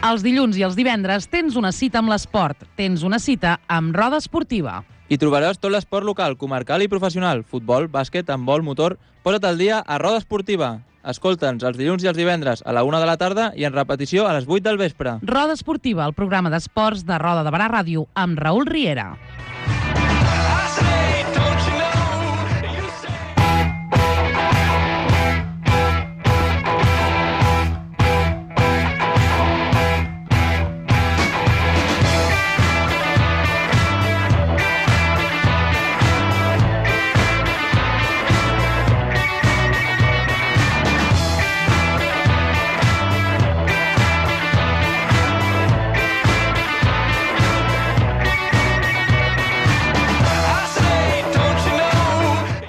Els dilluns i els divendres tens una cita amb l'esport. Tens una cita amb Roda Esportiva. Hi trobaràs tot l'esport local, comarcal i professional. Futbol, bàsquet, handbol, motor... Posa't al dia a Roda Esportiva. Escolta'ns els dilluns i els divendres a la 1 de la tarda i en repetició a les 8 del vespre. Roda Esportiva, el programa d'esports de Roda de Barà Ràdio amb Raül Riera.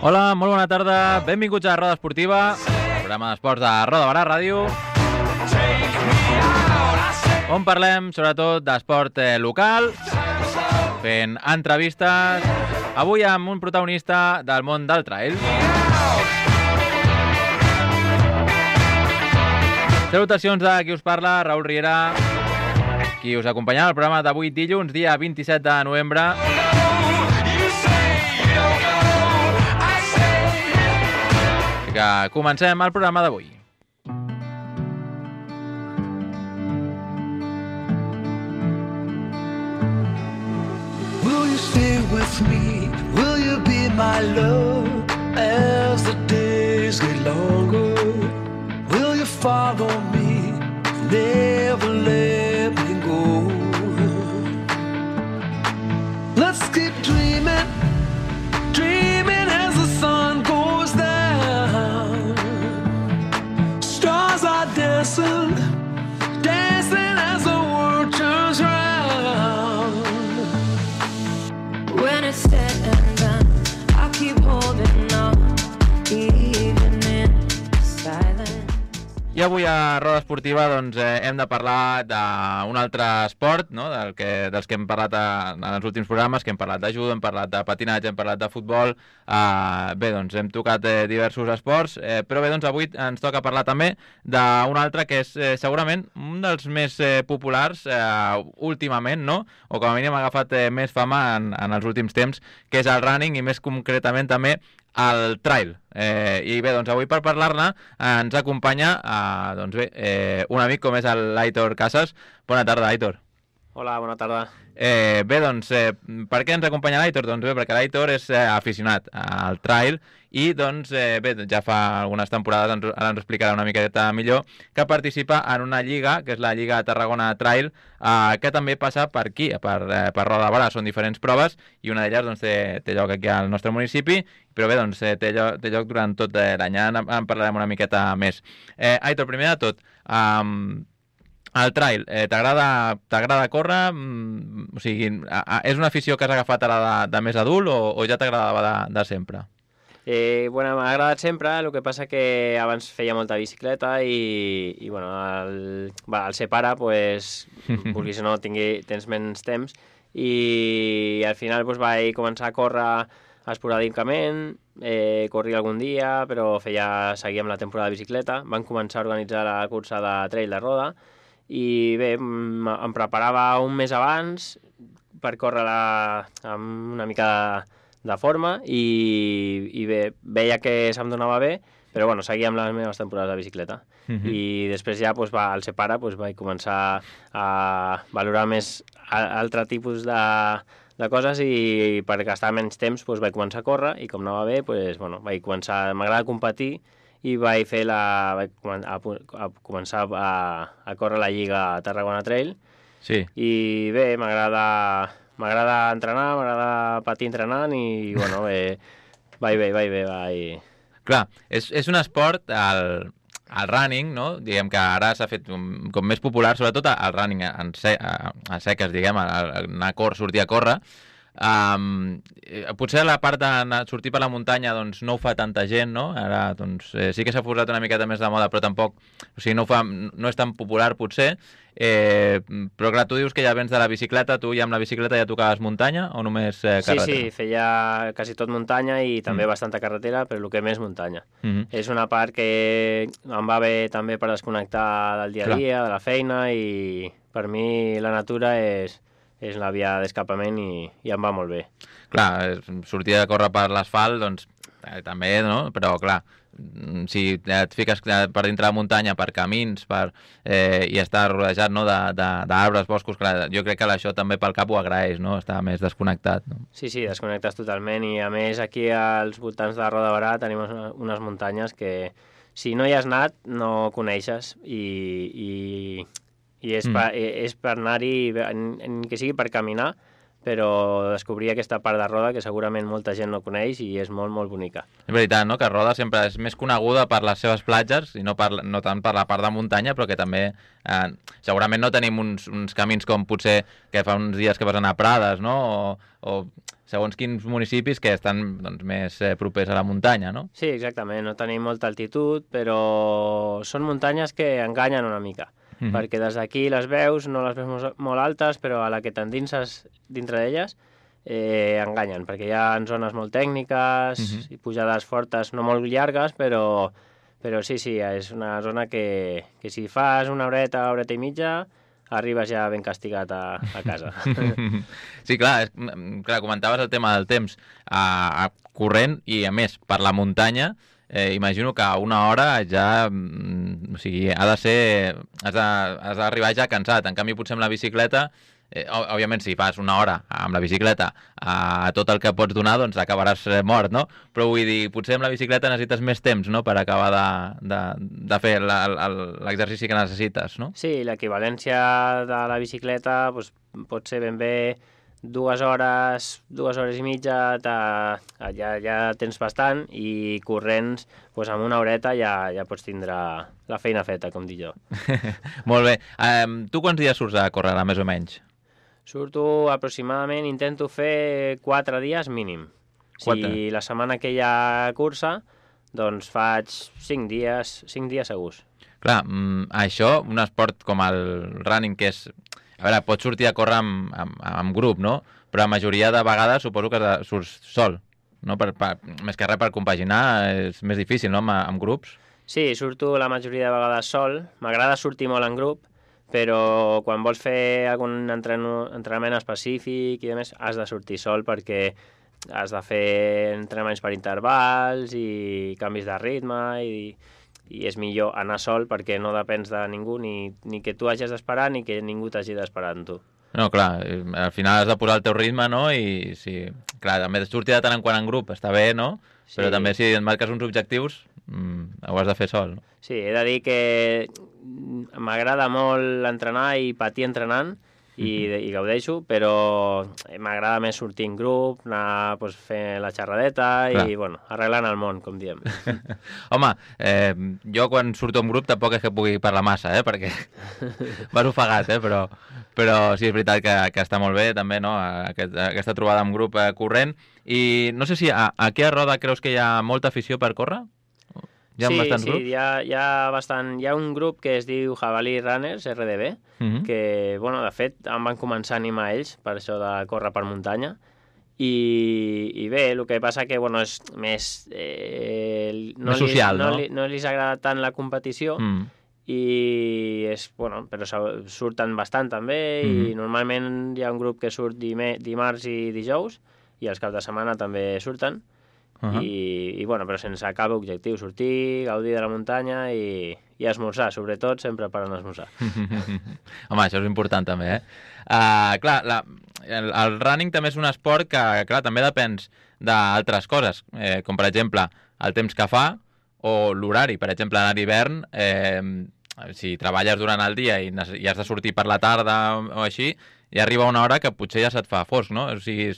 Hola, molt bona tarda, benvinguts a Roda Esportiva, el programa d'esports de Roda Barà Ràdio, on parlem sobretot d'esport local, fent entrevistes, avui amb un protagonista del món del trail. Salutacions de qui us parla, Raül Riera, qui us acompanyarà al programa d'avui dilluns, dia 27 de novembre. Que comencem el programa d'avui. Will you stay with me? Will you be my love as the days get longer? Will you follow me? Never let me go. Let's keep dreaming, dreaming as the sun goes down. Stars are dancing, dancing as the world turns round. When it's said and done, I'll keep holding on, even in silence. I avui a Roda Esportiva doncs, hem de parlar d'un altre esport, no? dels que hem parlat en els últims programes, que hem parlat de judo, hem parlat de patinatge, hem parlat de futbol. Bé, doncs hem tocat diversos esports, però bé, doncs avui ens toca parlar també d'un altre que és segurament un dels més populars últimament, no? O com a mínim ha agafat més fama en els últims temps, que és el running i més concretament també el trail. I bé, doncs avui per parlar-ne ens acompanya doncs bé, un amic com és l'Aitor Casas. Bona tarda, Aitor. Hola, bona tarda. Bé, doncs, per què ens acompanya l'Aitor? Doncs bé, perquè l'Aitor és aficionat al trail i, doncs, bé, ja fa algunes temporades, ara ens explicarà una miqueta millor, que participa en una lliga, que és la Lliga Tarragona Trail, que també passa per aquí, per Roda de Barà. Són diferents proves i una d'elles doncs, té lloc aquí al nostre municipi, però bé, doncs, té lloc durant tot l'any. En parlarem una miqueta més. Aitor, primer de tot, el trail, t'agrada córrer? O sigui, és una afició que has agafat ara de més adult o ja t'agradava de sempre? Bueno, m'ha agradat sempre, el que passa que abans feia molta bicicleta i bueno, al ser pare, pues, vulguis o no, tens menys temps i al final pues, vaig començar a córrer esporàdicament, corria algun dia, però seguia amb la temporada de bicicleta. Van començar a organitzar la cursa de trail de Roda i bé, em preparava un mes abans per córrer amb una mica de forma i bé, veia que se'm donava bé, però bueno, seguia amb les meves temporades de bicicleta. I després ja, pues, al ser pare, pues, vaig començar a valorar més altre tipus de coses i per gastar menys temps pues, vaig començar a córrer i com anava bé, pues, bueno, m'agrada competir i vaig començar a córrer la Lliga Tarragona Trail. Sí. I bé, m'agrada entrenar, m'agrada patir entrenant i bueno, vaig bé. Clar, és un esport, el running, no? Diguem que ara s'ha fet com més popular, sobretot el running a seques, diguem, sortir a córrer. Potser la part de sortir per la muntanya doncs, no ho fa tanta gent, no? Ara doncs, sí que s'ha posat una miqueta més de moda, però tampoc, o sigui, no és tan popular potser, però clar, tu dius que ja vens de la bicicleta, tu ja amb la bicicleta ja tocaves muntanya o només carretera? Sí, feia quasi tot muntanya i també bastanta carretera, però el que més muntanya. És una part que em va bé també per desconnectar del dia a dia, de la feina, i per mi la natura és la via d'escapament i em va molt bé. Clar, sortir a córrer per l'asfalt, doncs també, no? Però clar, si et fiques per dintre la muntanya, per camins, i estar rodejat, no, d'arbres, boscos, clar, jo crec que això també pel cap ho agraeix, no? Estar més desconnectat. No? Sí, desconnectes totalment, i a més aquí als voltants de Roda de Barà tenim unes muntanyes que si no hi has anat no coneixes, i és per anar-hi, que sigui per caminar, però descobrir aquesta part de Roda que segurament molta gent no coneix i és molt, molt bonica. És veritat, no?, que Roda sempre és més coneguda per les seves platges i no tant per la part de muntanya, però que també segurament no tenim uns camins com potser que fa uns dies que vas anar a Prades, no?, o segons quins municipis que estan doncs, més propers a la muntanya, no? Sí, exactament, no tenim molta altitud, però són muntanyes que enganyen una mica. Perquè des d'aquí les veus, no les veus molt altes, però a la que t'endinses dintre d'elles enganyen, perquè hi ha zones molt tècniques i pujades fortes, no molt llargues, però sí, és una zona que si fas una horeta i mitja, arribes ja ben castigat a casa. Sí, clar, comentaves el tema del temps corrent i, a més, per la muntanya. Imagino que a una hora ja, o sigui, has d'arribar ja cansat. En canvi, potser amb la bicicleta, òbviament, si fas una hora amb la bicicleta a tot el que pots donar, doncs acabaràs mort, no? Però vull dir, potser amb la bicicleta necessites més temps, no?, per acabar de fer l'exercici que necessites, no? Sí, l'equivalència de la bicicleta doncs, pot ser ben bé 2 hores i mitja, ja tens bastant, i corrents, doncs amb una horeta ja pots tindre la feina feta, com dic jo. Molt bé. Tu quants dies surts a córrer, més o menys? Surto aproximadament, intento fer 4 dies mínim. Si la setmana que hi ha cursa, doncs faig 5 dies segurs. Clar, això, un esport com el running, que és... A veure, pots sortir a córrer amb grup, no? Però la majoria de vegades suposo que surts sol, no? Més que res per compaginar és més difícil, no?, amb grups. Sí, surto la majoria de vegades sol. M'agrada sortir molt en grup, però quan vols fer algun entrenament específic i demés, has de sortir sol perquè has de fer entrenaments per intervals i canvis de ritme, i és millor anar sol perquè no depens de ningú, ni que tu hagis d'esperar ni que ningú t'hagi d'esperar amb tu. No, clar, al final has de posar el teu ritme, no? I sí, clar, també sortir de tant en quant en grup està bé, no? Sí. Però també si et marques uns objectius ho has de fer sol, no? Sí, he de dir que m'agrada molt entrenar i patir entrenant, i gaudeixo, però m'agrada més sortir en grup, anar fent la xerradeta i arreglant el món, com diem. Home, jo quan surto en grup tampoc és que pugui parlar massa, perquè vas ofegat, però sí, és veritat que està molt bé també, no?, aquesta trobada en grup corrent. I no sé si aquí a Roda creus que hi ha molta afició per córrer? Hi ha bastants grups? Sí, hi ha bastant. Hi ha un grup que es diu Jabalí Runners, RDB, que, de fet, em van començar a animar ells per això de córrer per muntanya. I bé, el que passa que, és més... més social, no? No els agrada tant la competició, i és, però surten bastant també, i normalment hi ha un grup que surt dimarts i dijous, i els caps de setmana també surten. Però sense cap objectiu, sortir, gaudir de la muntanya i esmorzar, sobretot sempre per anar a esmorzar. Home, això és important també, clar, el running també és un esport que, clar, també depens d'altres coses, com per exemple el temps que fa o l'horari. Per exemple, a l'hivern, si treballes durant el dia i has de sortir per la tarda o així, i arriba una hora que potser ja se't fa fosc, no? O sigui,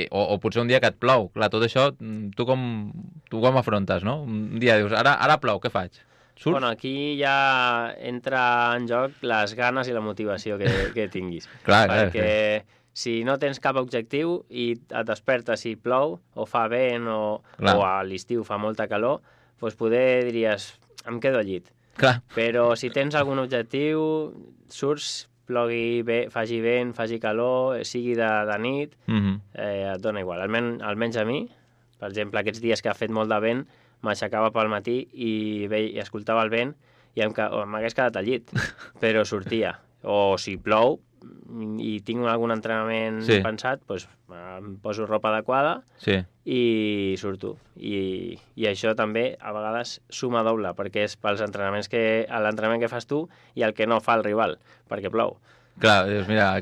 o potser un dia que et plou. Clar, tot això, tu com afrontes, no? Un dia dius, ara plou, què faig? Surts? Aquí ja entra en joc les ganes i la motivació que tinguis. Clar, perquè si no tens cap objectiu i et despertes i plou, o fa vent, o a l'estiu fa molta calor, doncs poder diries, em quedo al llit. Clar. Però si tens algun objectiu, surts, plogui, faci vent, faci calor, sigui de nit, et dona igual. Almenys a mi, per exemple, aquests dies que ha fet molt de vent, m'aixecava pel matí i escoltava el vent i m'hagués quedat al llit, però sortia. O si plou i tinc algun entrenament pensat, doncs em poso ropa adequada i surto. I això també a vegades suma doble, perquè és pels entrenaments l'entrenament que fas tu i el que no fa el rival, perquè plou. Clar, dius, mira,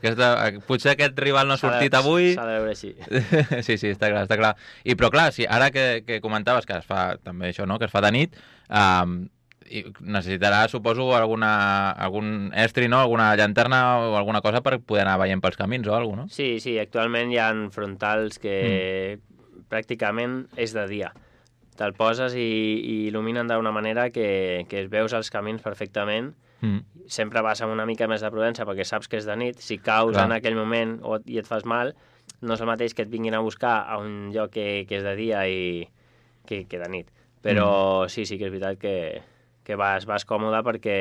potser aquest rival no ha sortit avui... S'ha de veure així. Sí, està clar. Però clar, ara que comentaves que es fa també això, no?, que es fa de nit, necessitarà, suposo, algun estri, no?, alguna llanterna o alguna cosa per poder anar veient pels camins o alguna cosa, no? Sí, actualment hi ha frontals que pràcticament és de dia. Te'l poses i il·luminen d'una manera que es veus els camins perfectament. Sempre vas amb una mica més de prudència perquè saps que és de nit. Si caus en aquell moment i et fas mal, no és el mateix que et vinguin a buscar a un lloc que és de dia i que de nit. Però sí que és veritat que vas còmode perquè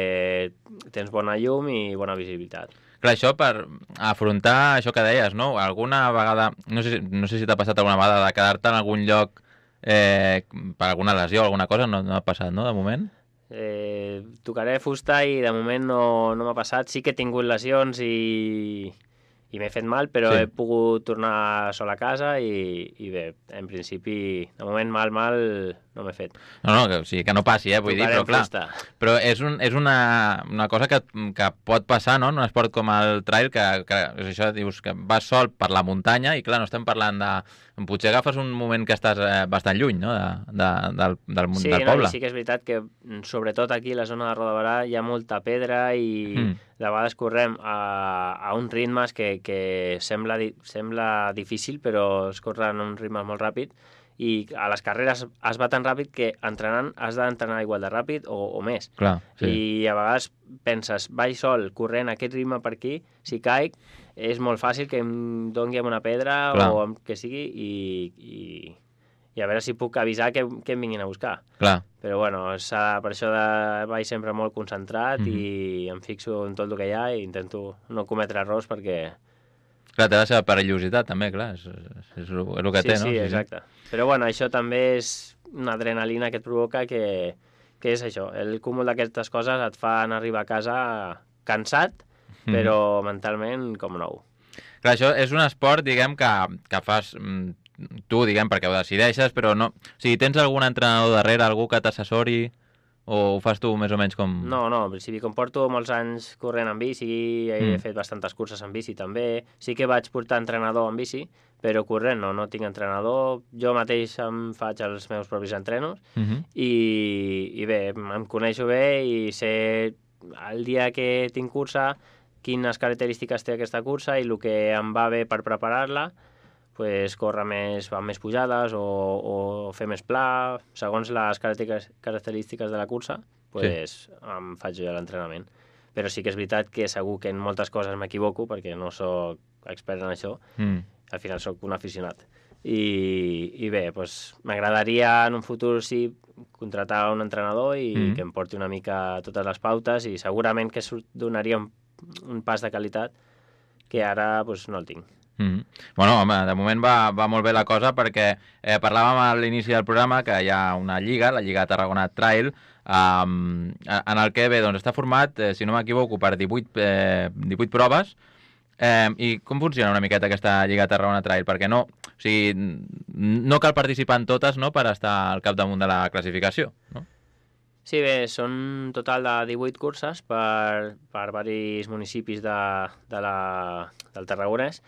tens bona llum i bona visibilitat. Clar, això per afrontar això que deies, no? Alguna vegada, no sé si t'ha passat alguna vegada de quedar-te en algun lloc per alguna lesió o alguna cosa, no ha passat, no, de moment? Tocaré fusta i de moment no m'ha passat. Sí que he tingut lesions i m'he fet mal, però he pogut tornar sol a casa i bé, en principi, de moment mal no m'he fet. No, que no passi, vull dir, però clar. Però és una cosa que pot passar, no?, en un esport com el trail, que és això, dius que vas sol per la muntanya i clar, no estem parlant de... Potser agafes un moment que estàs bastant lluny, no?, del poble. Sí que és veritat que sobretot aquí a la zona de Rodaberà hi ha molta pedra i de vegades correm a uns ritmes que sembla difícil, però es corren a un ritme molt ràpid i a les carreres es va tan ràpid que entrenant has d'entrenar igual de ràpid o més. Clar, sí. I a vegades penses, vaig sol corrent aquest ritme per aquí, si caic és molt fàcil que em doni amb una pedra o amb que sigui i a veure si puc avisar que em vinguin a buscar. Clar. Però bueno, per això vaig sempre molt concentrat i em fixo en tot el que hi ha i intento no cometre errors perquè... Clar, té la seva perillositat també, clar, és el que té, no? Sí, exacte. Però bueno, això també és una adrenalina que et provoca que és això, el cúmul d'aquestes coses et fan arribar a casa cansat, però mentalment com nou. Clar, això és un esport, diguem, que fas tu, diguem, perquè ho decideixes, però no... O sigui, tens algun entrenador darrere, algú que t'assessori... O ho fas tu més o menys com... No, en principi, com porto molts anys corrent en bici, he fet bastantes curses en bici també, sí que vaig portar entrenador en bici, però corrent no tinc entrenador, jo mateix em faig els meus propis entrenos i bé, em coneixo bé i sé el dia que tinc cursa, quines característiques té aquesta cursa i el que em va bé per preparar-la, pues, córrer més, va més pujades o fer més pla, segons les característiques de la cursa, pues, em faig jo l'entrenament. Però sí que és veritat que segur que en moltes coses m'equivoco, perquè no sóc expert en això, al final sóc un aficionat. I bé, pues, m'agradaria en un futur contratar un entrenador i que em porti una mica totes les pautes i segurament que donaria un pas de qualitat que ara pues, no el tinc. Bueno, home, de moment va molt bé la cosa perquè parlàvem a l'inici del programa que hi ha una lliga, la Lliga Tarragona Trail, en el que bé, doncs, està format, si no m'equivoco, per 18 proves. I com funciona una miqueta aquesta Lliga Tarragona Trail? Perquè no cal participar en totes, no?, per estar al capdamunt de la classificació, no? Sí, bé, són un total de 18 curses per diversos municipis del Tarragonès.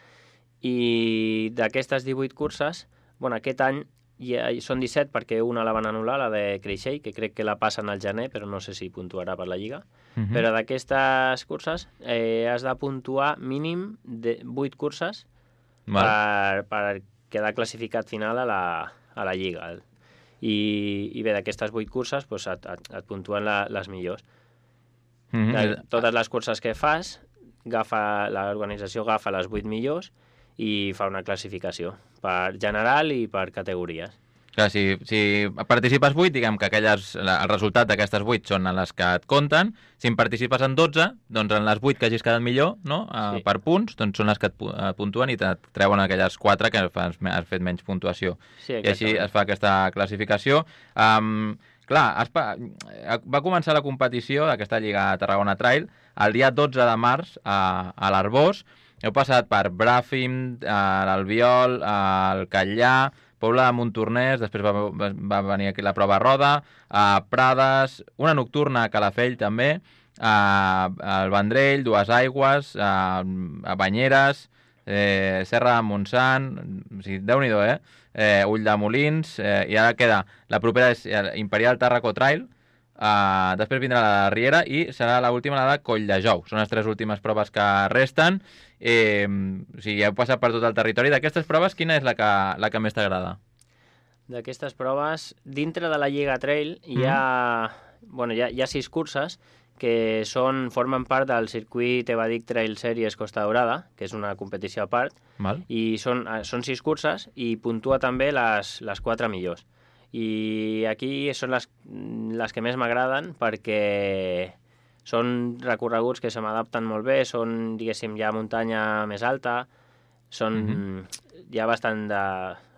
I d'aquestes 18 curses, bueno, aquest any són 17 perquè una la van anul·lar, la de Creixell, que crec que la passen al gener, però no sé si puntuarà per la Lliga. Però d'aquestes curses has de puntuar mínim de 8 curses per quedar classificat final a la Lliga. I bé, d'aquestes 8 curses doncs et puntuen les millors. Totes les curses que fas, l'organització agafa les 8 millors i fa una classificació per general i per categories. Clar, si participes 8, diguem que el resultat d'aquestes 8 són les que et compten. Si en participes en 12, doncs en les 8 que hagis quedat millor, no? Sí. Per punts, doncs són les que et puntuen i et treuen aquelles 4 que has fet menys puntuació. Sí, I així exactament. es fa aquesta classificació. Clar, va començar la competició d'aquesta Lliga Tarragona Trail el dia 12 de març a l'Arbós. Heu passat per Bràfim, l'Albiol, el Catllà, Pobla de Montornès, després va venir aquí la prova Roda, Prades, una nocturna a Calafell també, el Vendrell, Dues Aigües, a Banyeres, Serra de Montsant, o sigui, Déu-n'hi-do, Ulldemolins, i ara queda, la propera és Imperial Tàrraco Trail, després vindrà la de Riera i serà l'última la de Colldejou. Són les 3 últimes proves que resten. O sigui, heu passat per tot el territori. D'aquestes proves, quina és la que més t'agrada? D'aquestes proves, dintre de la Lliga Trail hi ha 6 curses que formen part del circuit Evadic Trail Series Costa Daurada, que és una competició a part, Val. i són 6 curses i puntua també les 4 millors. I aquí són les que més m'agraden perquè són recorreguts que se m'adapten molt bé, són, diguéssim, ja muntanya més alta, hi ha bastant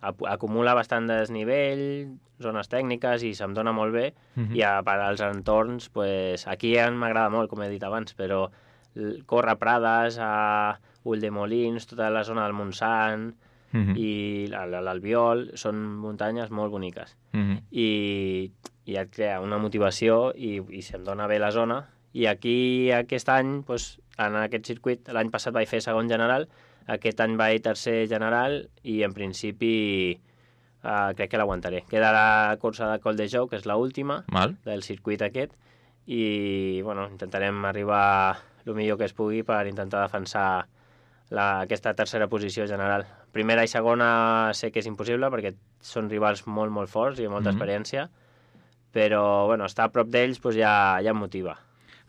acumula bastant desnivell, zones tècniques i se'm dona molt bé, i per als entorns, pues, aquí m'agrada molt, com he dit abans, però córrer Prades, a Ulldemolins, tota la zona del Montsant, i l'Albiol, són muntanyes molt boniques. I et crea una motivació i se'm dona bé la zona. I aquí, aquest any, doncs, en aquest circuit, l'any passat vaig fer segon general, aquest any vaig tercer general i en principi crec que l'aguantaré. Queda la cursa de Colldejou, que és l'última del circuit aquest, i bueno, intentarem arribar el millor que es pugui per intentar defensar aquesta tercera posició general. Primera i segona sé que és impossible perquè són rivals molt, molt forts i amb molta experiència, però bueno, estar a prop d'ells doncs ja em motiva.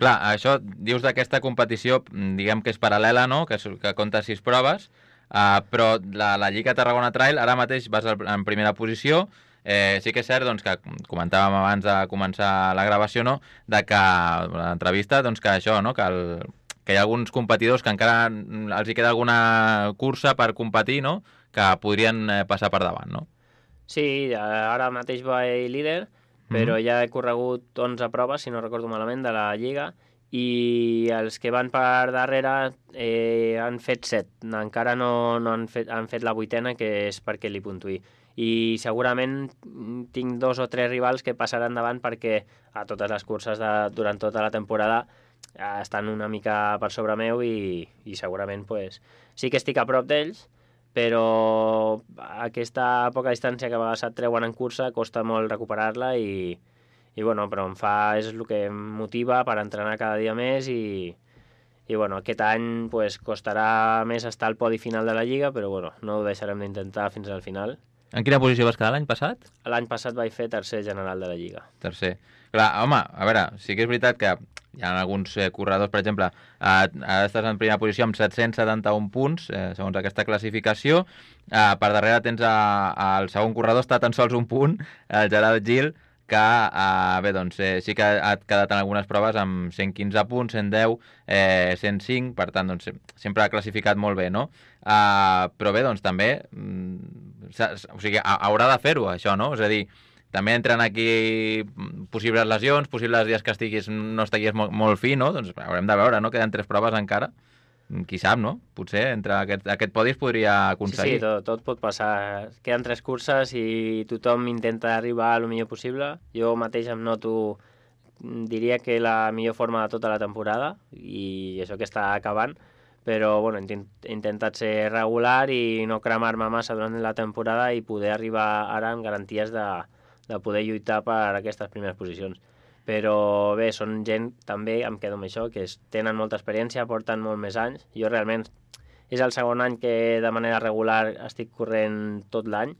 Clar, això dius d'aquesta competició, diguem que és paral·lela, no? Que compta 6 proves, però la Lliga Tarragona Trail ara mateix vas en primera posició. Sí que és cert doncs, que comentàvem abans de començar la gravació, no? De que l'entrevista, doncs, que això, no? Que hi ha alguns competidors que encara els hi queda alguna cursa per competir, no? Que podrien passar per davant, no? Sí, ara mateix vaig líder, però ja he corregut 11 proves, si no recordo malament, de la Lliga, i els que van per darrere han fet 7. Encara no han fet la 8ena, que és perquè li puntuï. I segurament tinc 2 o 3 rivals que passaran davant perquè a totes les curses durant tota la temporada estan una mica per sobre meu i segurament pues, sí que estic a prop d'ells, però aquesta poca distància que a vegades et treuen en cursa costa molt recuperar-la i bueno, però és el que em motiva per entrenar cada dia més i bueno, aquest any pues, costarà més estar al podi final de la Lliga, però bueno, no ho deixarem d'intentar fins al final. En quina posició vas quedar l'any passat? L'any passat vaig fer tercer general de la Lliga. Tercer. Clar, home, a veure, sí que és veritat que hi ha alguns corredors, per exemple, ara estàs en primera posició amb 771 punts, segons aquesta classificació. Per darrere tens el segon corredor, està tan sols un punt, el Gerard Gil, que bé, doncs, sí que ha quedat en algunes proves amb 115 punts, 110, 105, per tant, doncs, sempre ha classificat molt bé, no? Però bé, doncs, també, o sigui, haurà de fer-ho, això, no? És a dir, també entren aquí possibles lesions, possibles dies que no estiguis molt fi, no? Doncs haurem de veure, no? Queden 3 proves encara. Qui sap, no? Potser entre aquest podi es podria aconseguir. Sí, tot pot passar. Queden 3 curses i tothom intenta arribar a lo millor possible. Jo mateix em noto, diria que la millor forma de tota la temporada i això que està acabant, però bueno, he intentat ser regular i no cremar-me massa durant la temporada i poder arribar ara amb garanties de poder lluitar per aquestes primeres posicions. Però bé, són gent, també em quedo amb això, que tenen molta experiència, porten molt més anys. Jo realment és el segon any que de manera regular estic corrent tot l'any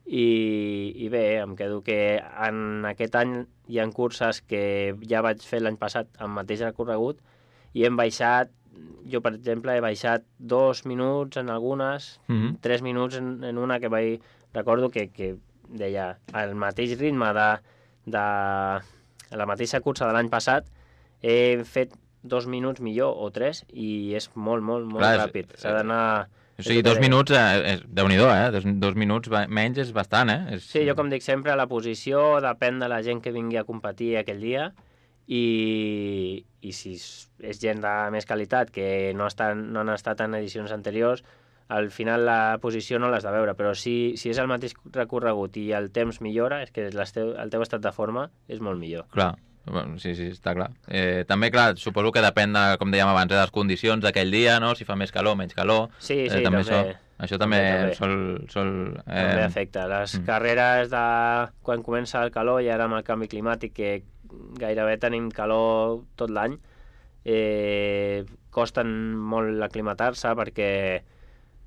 i bé, em quedo que en aquest any hi ha curses que ja vaig fer l'any passat amb mateix recorregut i hem baixat jo, per exemple, he baixat 2 minuts en algunes, 3 minuts en una que recordo que deia el mateix ritme de la mateixa cursa de l'any passat, he fet 2 minuts millor o 3 i és molt ràpid. S'ha d'anar... O sigui, 2 minuts, Déu-n'hi-do, 2 minuts menys és bastant, Sí, jo com dic sempre, la posició depèn de la gent que vingui a competir aquell dia i si és gent de més qualitat que no han estat en edicions anteriors, al final la posició no l'has de veure, però si és el mateix recorregut i el temps millora, és que el teu estat de forma és molt millor. Clar. Sí, està clar. També, clar, suposo que depèn, com dèiem abans, de les condicions d'aquell dia, no? Si fa més calor, menys calor... Sí, també. Això també sol... També afecta. Les carreres de quan comença el calor i ara amb el canvi climàtic, que gairebé tenim calor tot l'any, costen molt aclimatar-se perquè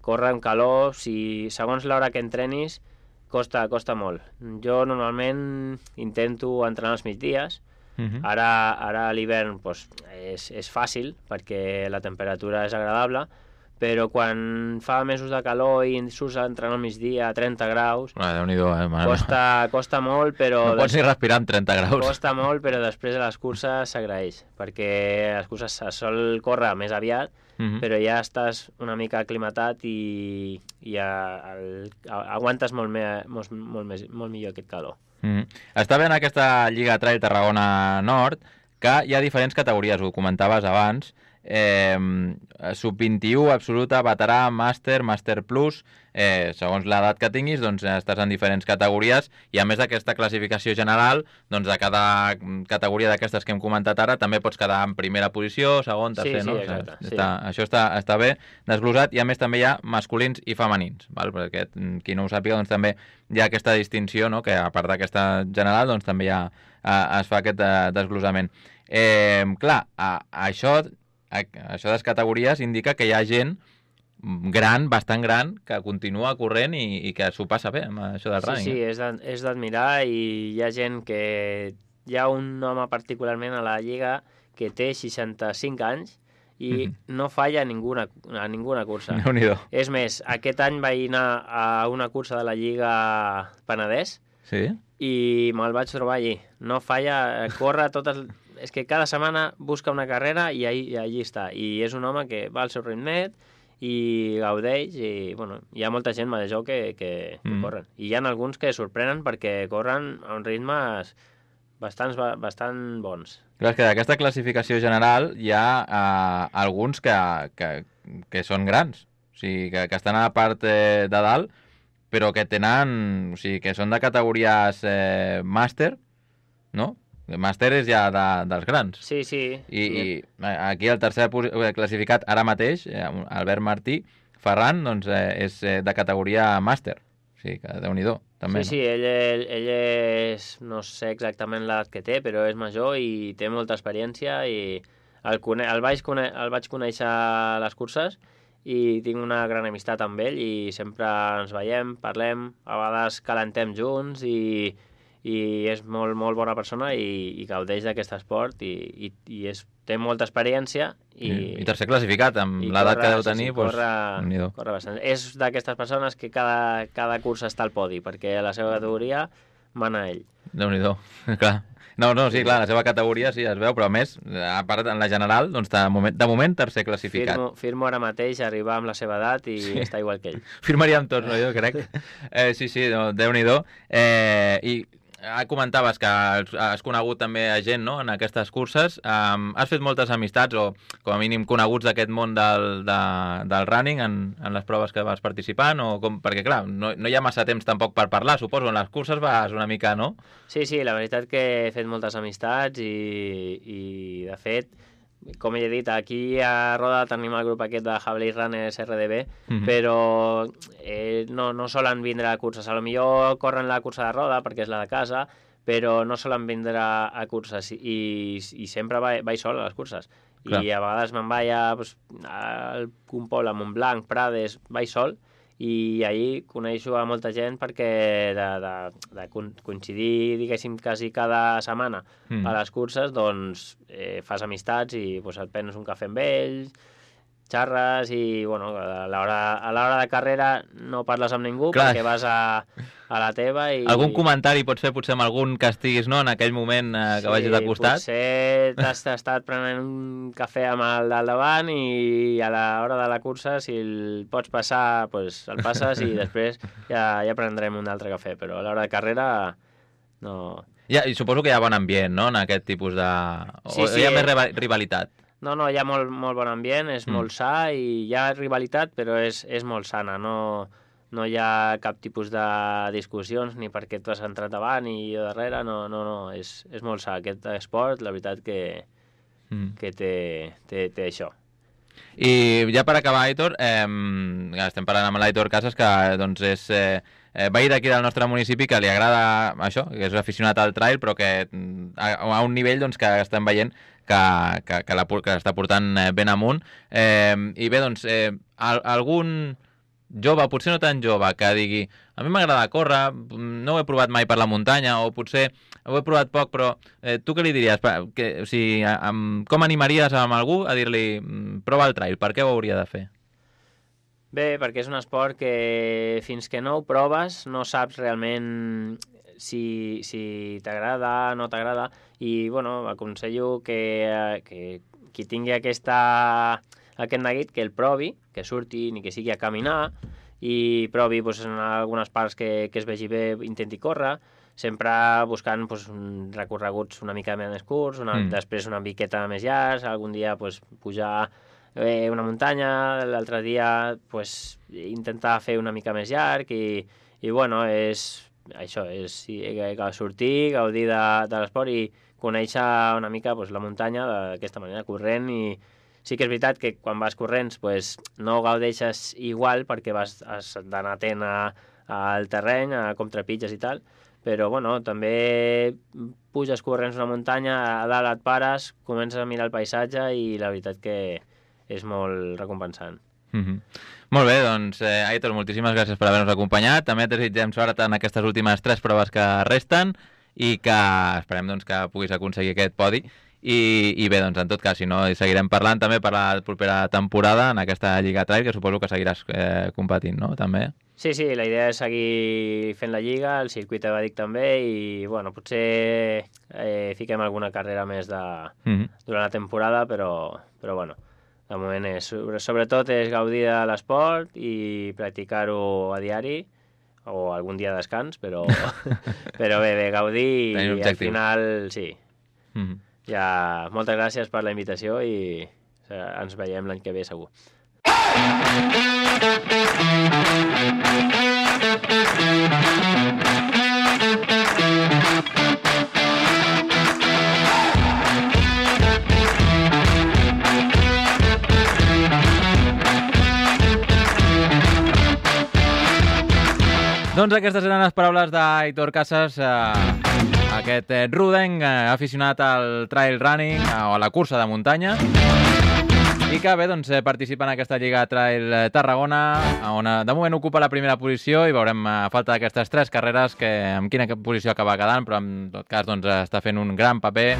córrer amb calor, segons l'hora que entrenis, costa molt. Jo normalment intento entrenar als migdies. Ara a l'hivern és fàcil perquè la temperatura és agradable, però quan fa mesos de calor i surts a entrenar al migdia a 30 graus, Déu-n'hi-do, costa molt, però... No pots ni respirar amb 30 graus. Costa molt, però després de les curses s'agraeix, perquè les curses se sol córrer més aviat, però ja estàs una mica aclimatat i aguantes molt millor aquest calor. Està bé en aquesta Lliga Trail Tarragona Nord que hi ha diferents categories, ho comentaves abans, sub-21, absoluta, veterà, màster, màster plus, segons l'edat que tinguis, doncs estàs en diferents categories i a més d'aquesta classificació general, doncs de cada categoria d'aquestes que hem comentat ara també pots quedar en primera posició, segon, tercer, no? Exacte, sí. Això està bé desglosat i a més també hi ha masculins i femenins, val? Perquè qui no ho sàpiga, doncs també hi ha aquesta distinció, no? Que a part d'aquesta general, doncs també es fa aquest desglosament. Clar, això de les categories indica que hi ha gent gran, bastant gran, que continua corrent i que s'ho passa bé amb això del running. Sí, és d'admirar i hi ha gent que... Hi ha un home particularment a la Lliga que té 65 anys i no falla a ninguna cursa. Déu-n'hi-do. És més, aquest any vaig anar a una cursa de la Lliga Penedès i me'l vaig trobar allí. No falla, corre totes... És que cada setmana busca una carrera i allí està. I és un home que va al seu ritmet i gaudeix i, bueno, hi ha molta gent major que corren. I hi ha alguns que sorprenen perquè corren a uns ritmes bastant bons. Clar, és que d'aquesta classificació general hi ha alguns que són grans, o sigui, que estan a la part de dalt, però que tenen, o sigui, que són de categories màster, no? Màster és ja dels grans. Sí. I aquí el tercer classificat ara mateix, Albert Martí Ferran, doncs és de categoria màster. O sigui, que Déu-n'hi-do, també. Sí, ell és, no sé exactament l'edat que té, però és major i té molta experiència i el vaig conèixer a les curses i tinc una gran amistat amb ell i sempre ens veiem, parlem, a vegades calentem junts i és molt bona persona i gaudeix d'aquest esport i té molta experiència i tercer classificat amb l'edat que deu tenir, corre bastant. És d'aquestes persones que cada cursa està al podi perquè a la seva categoria mana ell. Déu-n'hi-do, clar. No, sí, clar, la seva categoria sí es veu, però a més, a part en la general, doncs de moment tercer classificat. Firmo ara mateix arribar amb la seva edat i està igual que ell. Firmaríem tots, no, jo crec. Sí, Déu-n'hi-do. I comentaves que has conegut també a gent, no?, en aquestes curses. Has fet moltes amistats o com a mínim coneguts d'aquest món del running en les proves que vas participant? Perquè clar, no hi ha massa temps tampoc per parlar, suposo. En les curses vas una mica, no? Sí, la veritat que he fet moltes amistats i de fet, com he dit, aquí a Roda tenim el grup aquest de Javelin Runners RDB, però no solen vindre a curses. A lo millor corren la cursa de Roda perquè és la de casa, però no solen vindre a curses i sempre vaig sol a les curses. Clar. I a vegades me'n vaig al Compol, a Montblanc, Prades, vaig sol i ahir coneixo a molta gent perquè de coincidir, diguéssim, quasi cada setmana a les curses, doncs fas amistats i pues, et prens un cafè amb ells, xarres i, bueno, a l'hora de carrera no parles amb ningú perquè vas a la teva i... Algun comentari pots fer potser amb algun que estiguis, no?, en aquell moment que vagis de costat? Sí, potser t'has estat prenent un cafè amb el del davant i a l'hora de la cursa, si el pots passar, doncs el passes i després ja prendrem un altre cafè, però a l'hora de carrera no... Ja, i suposo que hi ha bon ambient, no?, en aquest tipus de... Sí, hi ha més rivalitat? No, hi ha molt bon ambient, és molt sa i hi ha rivalitat, però és molt sana, no hi ha cap tipus de discussions ni perquè tu has entrat davant i jo darrere, no, és molt sa. Aquest esport, la veritat que té això. I ja per acabar, Aitor, estem parlant amb l'Aitor Casas, que doncs és veí d'aquí del nostre municipi, que li agrada això, que és aficionat al trail, però que a un nivell doncs, que estem veient que l'està portant ben amunt. I bé, doncs, algun jove, potser no tan jove, que digui a mi m'agrada córrer, no ho he provat mai per la muntanya, o potser ho he provat poc, però tu què li diries? Com animaries amb algú a dir-li prova el trail, per què ho hauria de fer? Bé, perquè és un esport que fins que no ho proves no saps realment si t'agrada o no t'agrada, i bueno, aconsello que qui tingui aquest neguit que el provi, que surti ni que sigui a caminar i provi doncs, en algunes parts que es vegi bé, intenti córrer, sempre buscant doncs, recorreguts una mica més curts, després una miqueta més llargs, algun dia doncs, pujar una muntanya, l'altre dia doncs, intentar fer una mica més llarg i bueno, és sortir, gaudir de l'esport i conèixer una mica doncs, la muntanya d'aquesta manera, corrent. I sí que és veritat que quan vas corrents doncs, no gaudeixes igual perquè has d'anar atent al terreny, a com trepitges i tal, però bueno, també puges corrents una muntanya, a dalt et pares, comences a mirar el paisatge i la veritat que és molt recompensant. Molt bé, doncs, Aitor, moltíssimes gràcies per haver-nos acompanyat. També et desitgem sort en aquestes últimes 3 proves que resten i que esperem doncs, que puguis aconseguir aquest podi. I bé, doncs, en tot cas, si no, seguirem parlant també per la propera temporada en aquesta Lliga Trail, que suposo que seguiràs competint, no?, també. Sí, la idea és seguir fent la Lliga, el circuit evàdic també, i bueno, potser fiquem alguna carrera més durant la temporada, però bueno, de moment sobretot és gaudir de l'esport i practicar-ho a diari, o algun dia de descans, però bé, gaudir i al final, sí. Ja, moltes gràcies per la invitació i ens veiem l'any que ve segur. Doncs aquestes eren les paraules d'Aitor Casas, aquest rodenc aficionat al trail running o a la cursa de muntanya, i que bé, doncs, participa en aquesta Lliga Trail Tarragona, on de moment ocupa la primera posició, i veurem a falta d'aquestes 3 carreres amb quina posició acaba quedant, però en tot cas doncs, està fent un gran paper.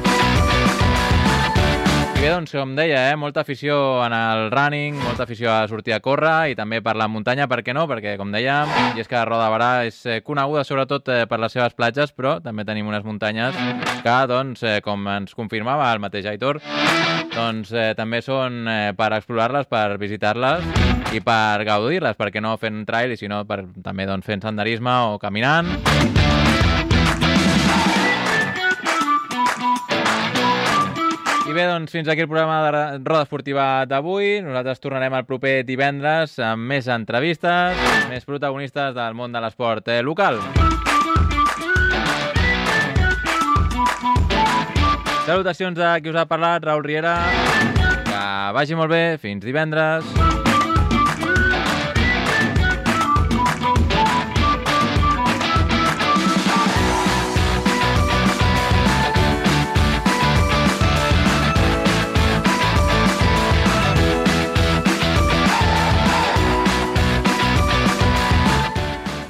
I bé, doncs, com deia, molta afició en el running, molta afició a sortir a córrer i també per la muntanya, per què no? Perquè, com dèiem, i és que Roda de Barà és coneguda sobretot per les seves platges, però també tenim unes muntanyes que, doncs, com ens confirmava el mateix Aitor, doncs també són per explorar-les, per visitar-les i per gaudir-les, perquè no fent trail, i sinó també doncs, fent senderisme o caminant. I bé, doncs fins aquí el programa de Roda Esportiva d'avui. Nosaltres tornarem el proper divendres amb més entrevistes, més protagonistes del món de l'esport local. Salutacions de qui us ha parlat, Raül Riera. Que vagi molt bé, fins divendres.